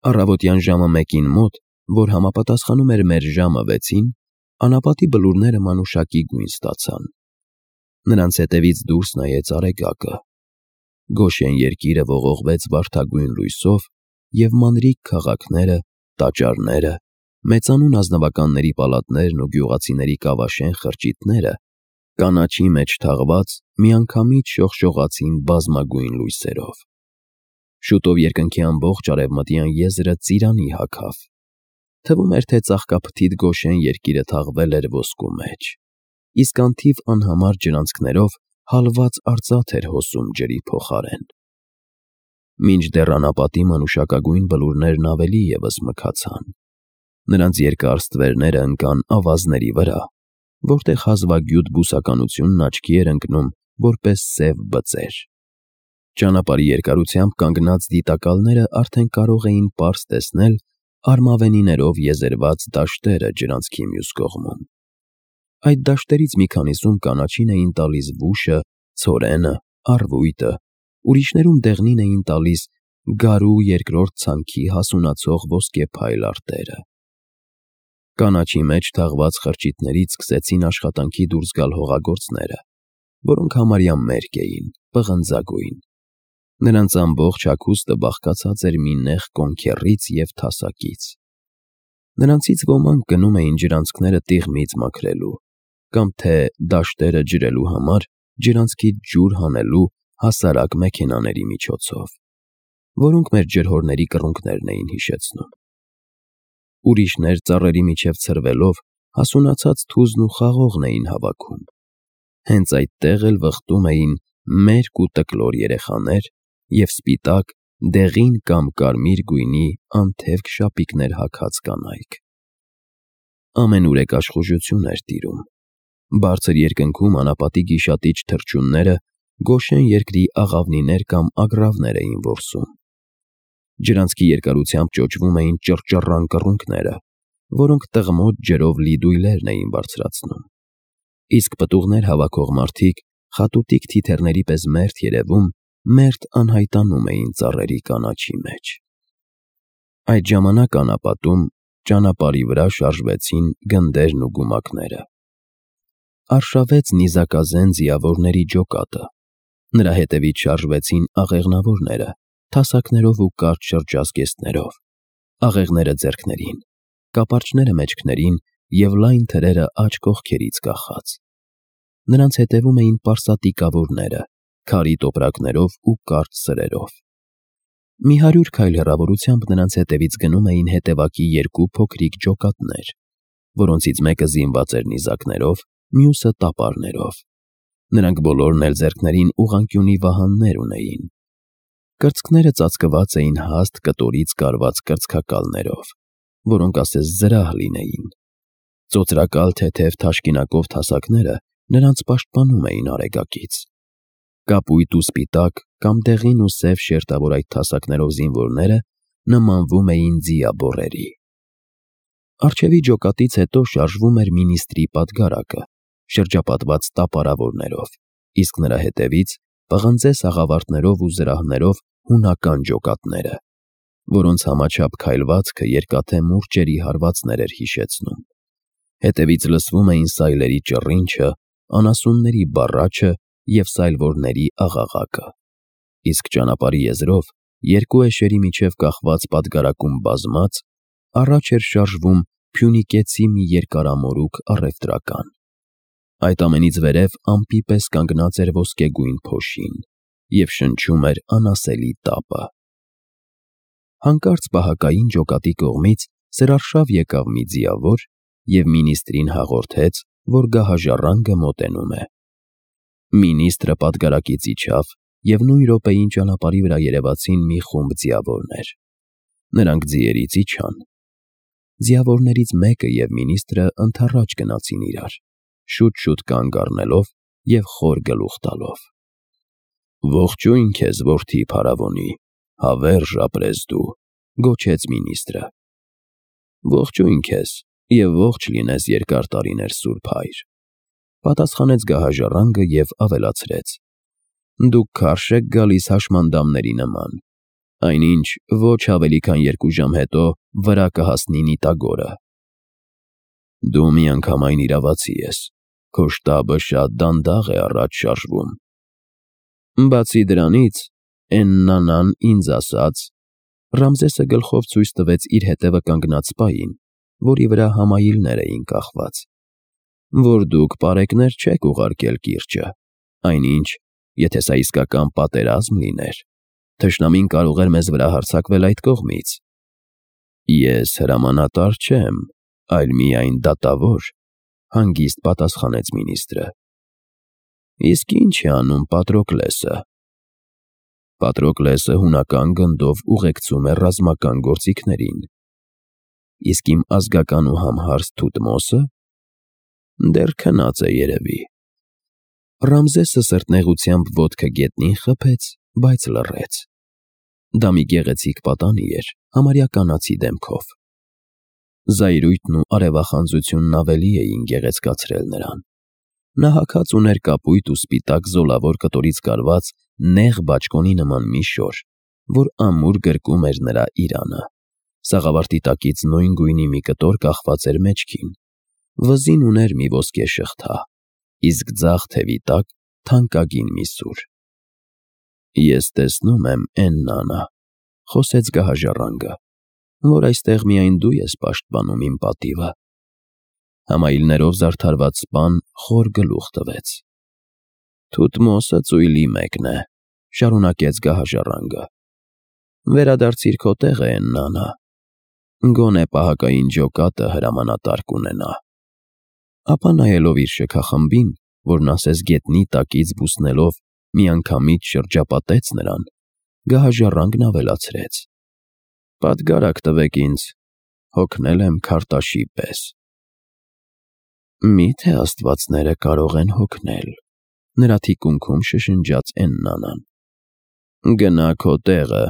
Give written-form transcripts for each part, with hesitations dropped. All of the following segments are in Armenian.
Առավոտյան ժամը 1-ին մոտ, որ համապատասխանում էր մեր ժամը 6-ին, անապատի բլուրները մանուշակի գույն ստացան։ Նրանց հետևից դուրս նայեց Արեգակը։ Գոշեն երկիրը ողողվեց վարդագույն լույսով, և մանրիկ քաղաքները, տաճարները, մեծանուն ազնվականների պալատներն ու գյուղացիների կավաշեն խրճիթները կանաչի մեջ թաղված միանգամից շողշողացին բազմագույն լույսերով։ Շուտով երկնքի ամբողջ արևմտյան եզրը ծիրանի հագավ։ Թվում էր, թե ծաղկափթիթ Գոշեն երկիրը թաղվել էր ոսկու մեջ, իսկ անթիվ անհամար ջրանցքներով հալված արծաթ էր հոսում ջրի փոխարեն։ Մինչդեռ անապատի մանուշակագույն բլուրներն ավելի ևս մքացան։ Նրանց երկար ստվերները ընկան ավազների վրա, որտեղ հազվագյուտ բուսականությունն աչքի էր ընկնում որպես սև բծեր։ Ճանապարհի երկարությամբ կանգնած դիտակալները արդեն կարող էին պարզ տեսնել արմավենիներով եզերված դաշտերը ջրանցքի մյուս կողմում։ Այդ դաշտերից մի քանիսում կանաչին էին տալիս վուշը, ցորենը, առվույտը, ուրիշներում դեղնին էին տալիս գարու երկրորդ ցանքի հասունացող ոսկեփայլ արտերը։ Կանաչի մեջ թաղված խրճիթներից սկսեցին աշխատանքի դուրս գալ հողագործները, որոնք համարյա մերկ էին, պղնձագույն։ Նրանց ամբողջ հագուստը բաղկացած էր մի նեղ կոնքեռից և թասակից։ Նրանցից ոմանք գնում էին ջրանցքները տիղմից մաքրելու, կամ թե դաշտերը ջրելու համար ջրանցքից ջուր հանելու հասարակ մեքենաների միջոցով, որոնք մեր ջրհորների կռունկներն էին հիշեցնում։ Ուրիշներ ծառերի միջև ցրվելով հասունացած թուզն ու խաղողն էին հավաքում։ Հենց այդտեղ էլ վխտում էին մերկ ու տկլոր երեխաներ և սպիտակ, դեղին կամ կարմիր գույնի անթևք շապիկներ հագած կանայք։ Ամենուրեք աշխուժություն էր տիրում։ Բարձր երկնքում անապատի գիշատիչ թռչունները Գոշեն երկրի աղավնիներ կամ ագռավներ էին որսում։ Ջրանցքի երկարությամբ ճոճվում էին ճռճռան կռունկները, որոնք տղմոտ ջրով լի դույլերն էին բարձրացնում, իսկ պտուղներ հավաքող մարդիկ խատուտիկ թիթեռների պես մերթ երևում, մերթ անհայտանում էին ծառերի կանաչի մեջ։ Այդ ժամանակ անապատում ճանապարհի վրա շարժվեցին գնդերն ու գումակները։ Արշավեց նիզակազեն ձիավորների ջոկատը։ Նրա հետևից շարժվեցին աղեղնավորները, թասակներով ու կարճ շրջազգեստներով, աղեղները ձեռքներին, կապարճները մեջքներին և լայն թրերը աջ կողքերից կախած։ Նրանց հետևում էին պարսատիկավորները, քարի տոպրակներով ու կարճ սրերով։ Մի 100 քայլ հեռավորությամբ նրանց հետևից գնում էին հետևակի 2 փոքրիկ ջոկատներ, որոնցից մեկը զինված էր նիզակներով, մյուսը տապարներով։ Նրանք բոլորն էլ ձեռքներին ուղղանկյունի վահաններ ունեին։ Կրծքները ծածկված էին հաստ կտորից կարված կրծքակալներով, որոնք ասես զրահ լինեին։ Ծոծրակալ թեթև թաշկինակով թասակները նրանց պաշտպանում էին Արեգակից։ Կապույտ ու սպիտակ կամ դեղին ու սև շերտավոր այդ թասակներով զինվորները նմանվում էին ձիաբոռերի։ Առջևի ջոկատից հետո շարժվում էր մինիստրի պատգարակը, շրջապատված տապարավորներով, իսկ նրա հետևից պղնձե սաղավարտներով ու զրահներով հունական ջոկատները, որոնց համաչափ քայլվածքը երկաթե մուրճերի հարվածներ էր հիշեցնում։ Հետևից լսվում էին սայլերի ճռինչը, անասունների բառաչը և սայլվորների աղաղակը, իսկ ճանապարհի եզրով, երկու էշերի միջև կախված պատգարակում բազմած, առաջ էր շարժվում Փյունիկեցի մի երկարամորուք առևտրական։ Այդ ամենից վերև ամպի պես կանգնած էր ոսկեգույն փոշին և շնչում էր անասելի տապը։ Հանկարծ պահակային ջոկատի կողմից սրարշավ եկավ մի ձիավոր և մինիստրին հաղորդեց, որ գահաժառանգը մոտենում է։ Մինիստրը պատգարակից իջավ, և նույն րոպեին ճանապարհի վրա երևացին մի խումբ ձիավորներ։ Նրանք ձիերից իջան։ Ձիավորներից մեկը և մինիստրը ընդառաջ գնացին իրար, շուտ-շուտ կանգ առնելով և խոր գլուխ տալով։ «Ողջույն քեզ, որդի փարավոնի, հավերժ ապրես դու», գոչեց մինիստրը։ «Ողջույն քեզ և ողջ լինես երկար տարիներ, սուրբ հայր», պատասխանեց գահաժառանգը և ավելացրեց. «Դուք քարշ եք գալիս հաշմանդամների նման, այնինչ ոչ ավելի քան 2 ժամ հետո վրա կհասնի Նիտագորը։ Դու միանգամայն իրավացի ես, քո շտաբը շատ դանդաղ է առաջ շարժվում։ Բացի դրանից, Էննանան ինձ ասաց, Ռամզեսը գլխով ցույց տվեց իր հետևը կանգնած սպային, որի վրա համայիլներ էին կախված, որ դուք պարեկներ չեք ուղարկել կիրճը, այնինչ, եթե սա իսկական պատերազմ լիներ, թշնամին կարող էր մեզ վրա հարձակվել այդ կողմից։ Ես հրամանատար չեմ, այլ միայն դատավոր, հանգիստ պատասխանեց մինիստրը։ Իսկ ինչ է անում Պատրոկլեսը։ Պատրոկլեսը հունական գնդով ուղեկցում է ռազմական գործիքներին։ Իսկ իմ ազգական ու համհարց Թութմոսը դեռ քնած է երևի։ Ռամզեսը սրտնեղությամբ ոտքը գետնին խփեց, բայց լռեց։ Դա մի գեղեցիկ պատանի էր, համարյա կանացի դեմքով։ Զայրույթն ու արևախանձությունն ավելի էին գեղեցկացրել նրան։ Նա հագած ուներ կապույտ ու սպիտակ զոլավոր կտորից կարված նեղ բաճկոնի նման մի շոր, որ ամուր գրկում էր նրա իրանը։ Սաղավարտի տակից նույն գույնի մի կտոր կախված էր մեջքին։ Վզին ուներ մի ոսկե շղթա, իսկ ձախ թևի տակ թանկագին մի սուր։ Ես տեսնում եմ, Էննանա, խոսեց գահաժառանգը, որ այստեղ միայն դու ես պաշտպանում իմ պատիվը։ Համայիլներով զարդարված սպան խոր գլուխ տվեց։ Թութմոսը ծույլի մեկն է, շարունակեց գահաժառանգը։ Վերադարձիր քո տեղը, Էննանա։ Գոնե պահակային ջոկատը հրամանատար կունենա։ Ապա նայելով իր շքախմբին, որն ասես գետնի տակից բուսնելով միանգամից շրջապատեց նրան, գահաժառանգն ավելացրեց. Պատգարակ տվեք ինձ, հոգնել եմ քարտաշի պես։ Միթե աստվածները կարող են հոգնել, նրա թիկունքում շշնջաց Էննանան։ Գնա քո տեղը,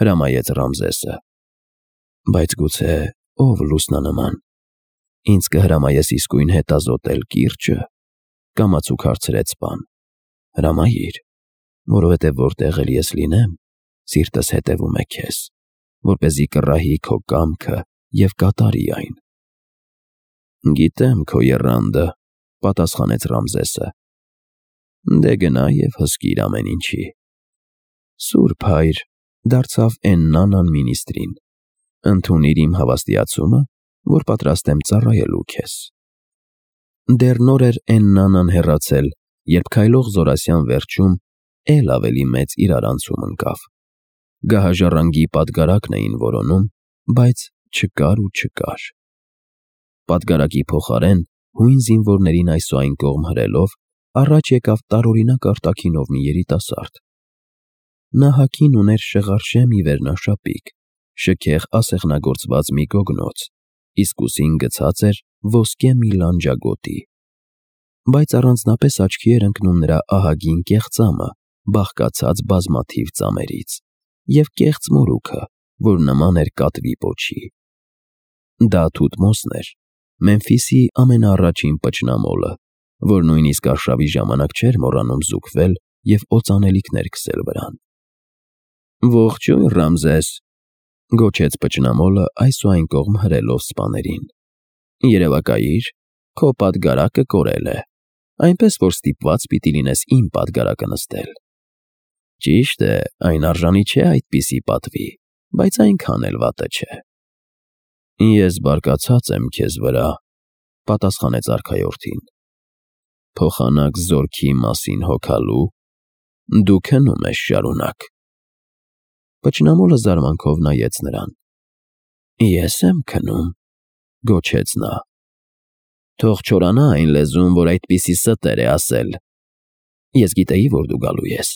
հրամայեց Ռամզեսը։ Բայց գուցե ով լուսնանման, ինձ կհրամայես իսկույն հետազոտել կիրճը, կամացուկ հարցրեց սպան։ Հրամայիր, որովհետև որտեղ էլ ես լինեմ, սիրտս հետևում է քեզ, որպեսզի կռահի քո կամքը և կատարի այն։ Գիտեմ քո եռանդը, պատասխանեց Ռամզեսը։ Դե գնա և հսկիր ամեն ինչի։ Սուրբ հայր, դարձավ Էննանան մինիստրին, ընդունիր իմ հավաստիացումը, որ պատրաստ եմ ծառայելու քեզ։ Դեռ նոր էր Էննանան հեռացել, երբ քայլող զորասյան վերջում էլ ավելի մեծ իրարանցում ընկավ։ Գահաժառանգի պատգարակն էին որոնում, բայց չկար ու չկար։ Պատգարակի փոխարեն հույն զինվորներին այսուայն կողմ հրելով առաջ եկավ տարօրինակ արտաքինով մի երիտասարդ։ Նա հագին ուներ շղարշե մի վերնաշապիկ, շքեղ ասեղնագործված մի գոգնոց, իսկ ուսին գցած էր ոսկե մի լանջագոտի։ Բայց առանձնապես աչքի էր ընկնում նրա ահագին կեղծամը, բաղկացած բազմաթիվ ծամերից, և կեղծ մորուքը, որ նման էր կատվի պոչի։ Դա Թութմոսն էր, Մեմֆիսի ամենաառաջին պճնամոլը, որ նույնիսկ արշավի ժամանակ չէր մոռանում զուգվել և օծանելիքներ քսել վրան։ Ողջույն, Ռամզես, գոչեց պճնամոլը այսուայն կողմ հրելով սպաներին։ Երևակայիր, քո պատգարակը կորել է, այնպես որ ստիպված պիտի լինես իմ պատգարակը նստել։ Ճիշտ է, այն արժանի չէ այդպիսի պատվի, բայց այնքան էլ վատը չէ։ Ես բարկացած եմ քեզ վրա, պատասխանեց արքայորդին։ Փոխանակ զորքի մասին հոգալու, դու քնում ես շարունակ։ Պճնամոլը զարմանքով նայեց նրան։ Ես եմ քնում, գոչեց նա։ Թող չորանա այն լեզուն, որ այդպիսի ստեր է ասել։ Ես գիտեի, որ դու գալու ես,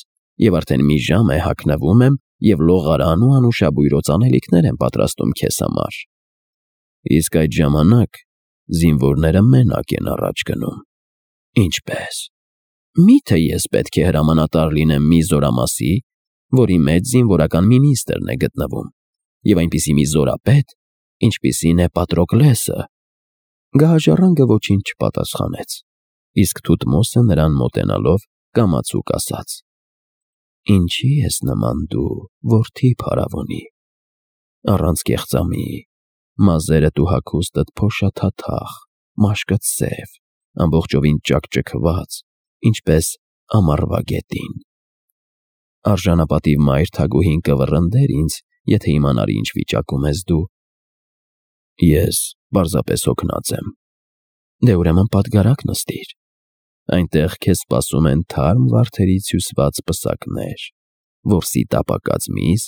և արդեն մի ժամ է հագնվում եմ և լողարան ու անուշաբույր օծանելիքներ եմ պատրաստում քեզ համար։ Իսկ այդ ժամանակ զինվորները մենակ են առաջ գնում։ Ինչպե՞ս։ Միթե ես պետք է հրամանատար լինեմ մի զորամասի, որի մեջ զինվորական մինիստրն է գտնվում, և այնպիսի մի զորապետ, ինչպիսին է Պատրոկլեսը։ Գահաժառանգը ոչինչ չպատասխանեց, իսկ Թութմոսը նրան մոտենալով կամացուկ ասաց. Ինչի ես նման դու, որդի փարավոնի, առանց կեղծամի, մազերդ ու հագուստդ փոշաթաթախ, մաշկդ սև, ամբողջովին ճաքճքված, ինչպես ամառվա գետին։ Արժանապատիվ մայր թագուհին կվռնդեր ինձ, եթե իմանար ինչ վիճակում ես դու։ Ես պարզապես հոգնած եմ։ Դե ուրեմն պատգարակ նստիր։ Այնտեղ քեզ սպասում են թարմ վարդերից հյուսված պսակներ, որսի տապակած միս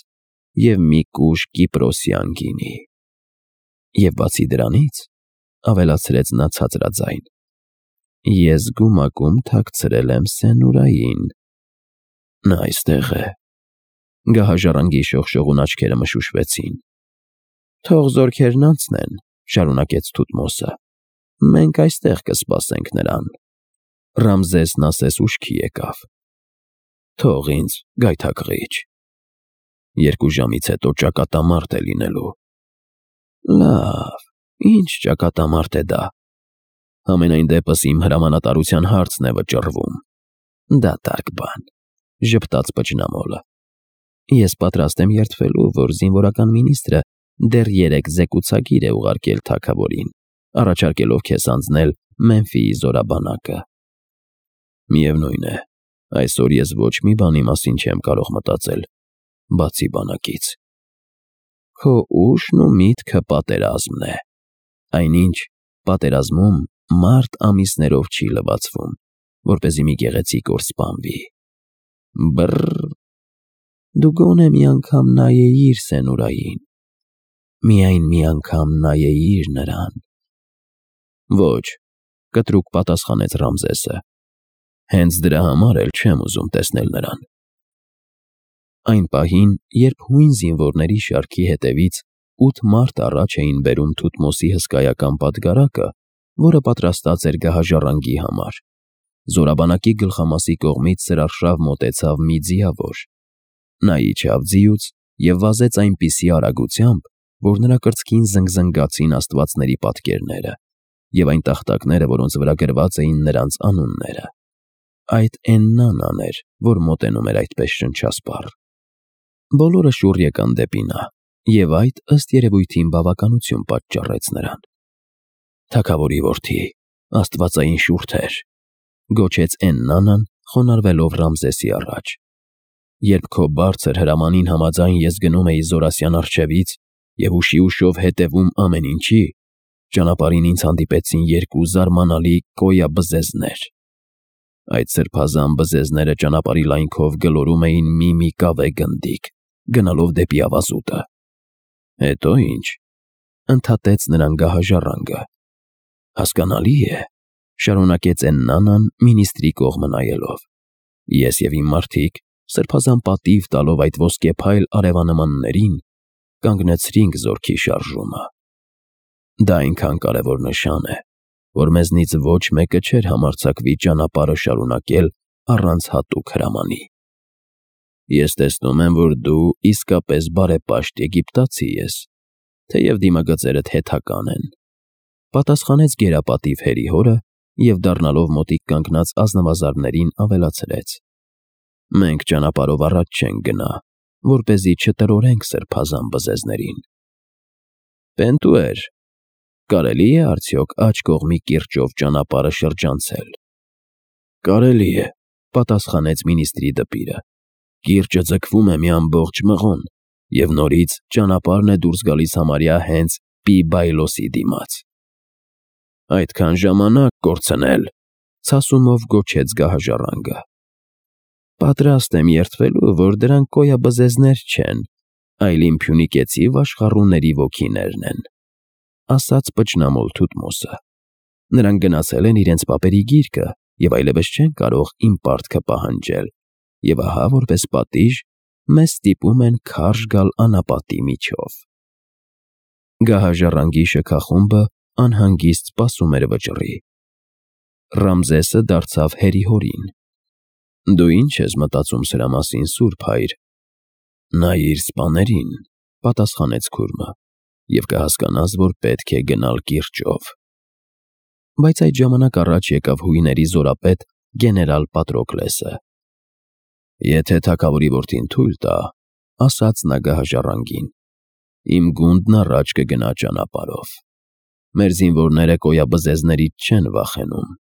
և մի կուժ կիպրոսյան գինի։ Եվ բացի դրանից, ավելացրեց նա ցածրաձայն, ես գումակում թաքցրել եմ Սենուրային։ Նա այստեղ է։ Գահաժառանգի շողշողուն աչքերը մշուշվեցին։ Թող զորքերն անցնեն, շարունակեց Թութմոսը, մենք այստեղ կսպասենք նրան։ Ռամզեսն ասես ուշքի եկավ։ Թող ինձ, գայթակղիչ։ 2 ժամից հետո ճակատամարտ է լինելու։ Լավ, ինչ ճակատամարտ է դա։ Համենայն դեպս իմ հրամանատարության հարցն է վճռվում։ Դատարկ բան, ժպտաց Պճնամոլը։ Ես պատրաստ եմ երդվելու, որ զինվորական մինիստրը դեռ 3 զեկուցագիր է ուղարկել թագավորին, առաջարկելով քեզ անձնել Մեմֆիի զորաբանակը։ Միևնույն է, այսօր ես ոչ մի բանի մասին չեմ կարող մտածել, բացի բանակից։ Քո ուշն ու միտքը պատերազմն է։ Այնինչ, պատերազմում մարդ ամիսներով չի լվացվում, որպեսզի մի գեղեցիկ օր սպանվի։ Բռռ։ Դու գոնե մի անգամ նայեիր Սենուրային։ Միայն մի անգամ նայեիր նրան։ Ոչ, կտրուկ պատասխանեց Ռամզեսը։ Հենց դրա համար էլ չեմ ուզում տեսնել նրան։ Այն պահին, երբ հույն զինվորների շարքի հետևից 8 մարդ առաջ էին բերում Թութմոսի հսկայական պատգարակը, որը պատրաստած էր գահաժառանգի համար, զորաբանակի գլխամասի կողմից սրարշավ մոտեցավ մի ձիավոր։ Նա իջավ ձիուց և վազեց այնպիսի արագությամբ, որ նրա կրծքին զնգզնգացին աստվածների պատկերները և այն տախտակները, որոնց վրա գրված էին նրանց անունները։ Այդ Էննանան էր, որ մոտենում էր այդպես շնչասպառ։ Բոլորը շուռ եկան դեպի նա, և այդ, ըստ երևույթին, բավականություն պատճառեց նրան։ Թագավորի որդի, աստվածային շուրթեր, գոչեց Էննանան, խոնարհվելով Ռամզեսի առաջ։ Երբ քո բարձր հրամանին համաձայն ես գնում էի Զորասյան առջևից և ուշիուշով հետևում ամեն ինչի, ճանապարհին ինձ հանդիպեցին 2 զարմանալի կոյաբզեզներ։ Այդ սրբազան բզեզները ճանապարհի լայնքով գլորում էին մի կավե գնդիկ, գնալով դեպի ավազուտը։ Հետո ինչ, ընդհատեց նրան գահաժառանգը։ Հասկանալի է, շարունակեց Էննանան մինիստրի կողմը նայելով։ Ես և իմ մարդիկ, սրբազան պատիվ տալով այդ ոսկեփայլ արևանմաններին, կանգնեցրինք զորքի շարժումը։ Դա այնքան կարևոր նշան է, որ մեզնից ոչ մեկը չէր համարձակվի ճանապարհը շարունակել առանց հատուկ հրամանի։ Ես տեսնում եմ, որ դու իսկապես բարեպաշտ եգիպտացի ես, թեև դիմագծերդ հեթական են, պատասխանեց գերապատիվ հերի հորը և դառնալով մոտիկ կանգնած ազնվազարդներին ավելացրեց. Մենք ճանապարհով առաջ չենք գնա, որպեսզի չտրորենք սրբազան բզեզներին։ Պենտուեր, կարելի է արդյոք աջ կողմի կիրճով ճանապարհը շրջանցել։ Կարելի է, պատասխանեց մինիստրի դպիրը։ Կիրճը ձգվում է մի ամբողջ մղոն, և նորից ճանապարհն է դուրս գալիս համարյա հենց Պիբայլոսի դիմաց։ Այդքան ժամանակ կորցնել, ցասումով գոչեց գահաժառանգը։ Պատրաստ եմ երդվելու, որ դրանք կոյաբզեզներ չեն, այլ իմ փյունիկեցի վաշխառուների ոգիներն են, ասաց Պճնամոլ Թութմոսը։ Նրանք գնացել են իրենց պապերի գիրկը և այլևս չեն կարող իմ պարտքը պահանջել, և ահա որպես պատիժ մեզ ստիպում են քարշ գալ անապատի միջով։ Գահաժառանգի շքախումբը անհանգիստ սպասում էր վճռի։ Ռամզեսը դարձավ հերի հորին։ Դու ինչ ես մտածում սրա մասին, սուրբ հայր։ Նայիր սպաներին, պատասխանեց քուրմը, և կհասկանաս, որ պետք է գնալ կիրճով։ Բայց այդ ժամանակ առաջ եկավ հույների զորապետ գեներալ Պատրոկլեսը։ Եթե թագավորի որդին թույլ տա, ասաց նա գահաժառանգին, իմ գունդն առաջ կգնա ճանապարհով։ Մեր զինվորները կոյաբզեզներից չեն վախենում։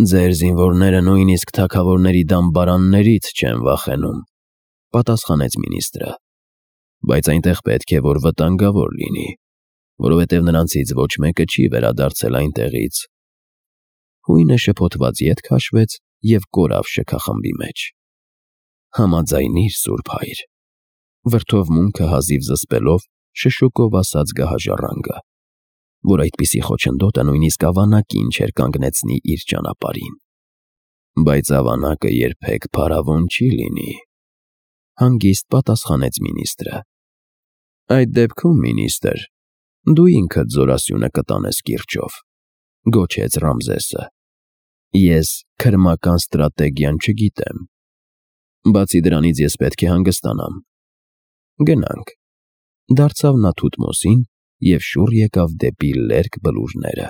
Ձեր զինվորները նույնիսկ թագավորների դամբարաններից չեն վախենում, պատասխանեց մինիստրը, բայց այնտեղ պետք է որ վտանգավոր լինի, որովհետև նրանցից ոչ մեկը չի վերադարձել այնտեղից։ Հույնը շփոթված ետ քաշվեց և կորավ շքախմբի մեջ։ Համաձայնիր, Սուրբ Հայր, վրդովմունքը հազիվ զսպելով շշուկով ասաց գահաժառանգը, որ այդպիսի խոչընդոտը նույնիսկ ավանակին չէր կանգնեցնի իր ճանապարհին։ Բայց ավանակը երբեք փարավոն չի լինի, հանգիստ պատասխանեց մինիստրը։ Այդ դեպքում, մինիստր, դու ինքդ զորասյունը կտանես կիրճով, գոչեց Ռամզեսը։ Ես քրմական ստրատեգիան չգիտեմ։ Բացի դրանից ես պետք է հանգստանամ։ Գնանք, դարձավ նա Թութմոսին և շուռ եկավ դեպի լերկ բլուրները։